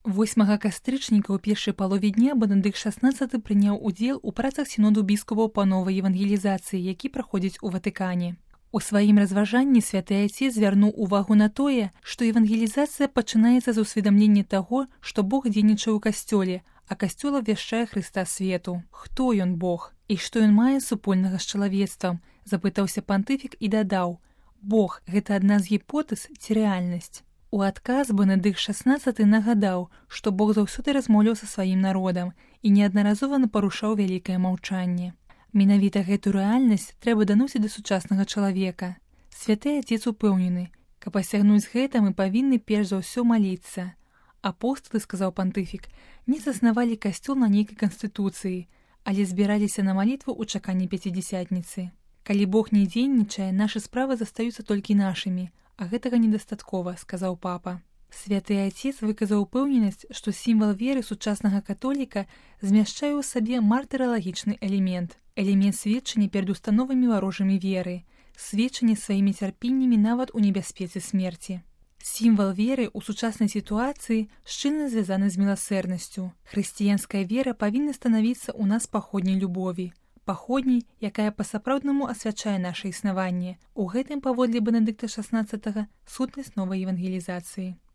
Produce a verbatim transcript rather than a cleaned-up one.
восьмага кастрычніка ў першай палове дня Бенедыкт шаснаццаты прыняў удзел у працах сіноду біскупаў па новай евангелізацыі, які праходзіць у Ватыкане. У сваім разважанні святы Айцец звярнуў увагу на тое, што евангелізацыя пачынаецца з усведамлення таго, што Бог дзейнічае ў касцёле, а касцёл абвяшчае Хрыста свету. Хто ён Бог? І што ён мае супольнага з чалавецтвам? Запытаўся пантыфік і дадаў: Бог – гэта адна з гіпотэз ці рэальнасць? У адказ Бенедыкт шаснаццаты нагадаў, што Бог заўсёды размаўляў са сваім народам і неаднаразова парушаў вялікае маўчанне. Менавіта гэту рэальнасць трэба даносіць да сучаснага чалавека. Святы Айцец упэўнены, каб асягнуць гэта, мы павінны перш за ўсё маліцца. Апосталы, сказаў пантыфік, не заснавалі касцёл на нейкай канстытуцыі, але збіраліся на малітву ў чаканні пяцідзясятніцы. Калі Бог не дзейнічае, нашы справы застаюцца толькі нашымі, а гэтага недастаткова, сказаў папа. Святы Айцец выказаў упэўненасць, што сімвал веры сучаснага католіка змяшчае ў сабе мартыралагічны элемент, элемент сведчання перад установамі варожымі веры, сведчання сваімі цярпеннямі нават у небяспецы смерці. Сімвал веры ў сучаснай сітуацыі шчыльна звязаны з міласэрнасцю. Хрысціянская вера павінна станавіцца ў нас паходняй любові, паходняй, якая па-сапраўднаму асвячае наша існаванне. У гэтым, паводле Бенедыкта шаснаццатага, сутнасць новай евангелізацыі.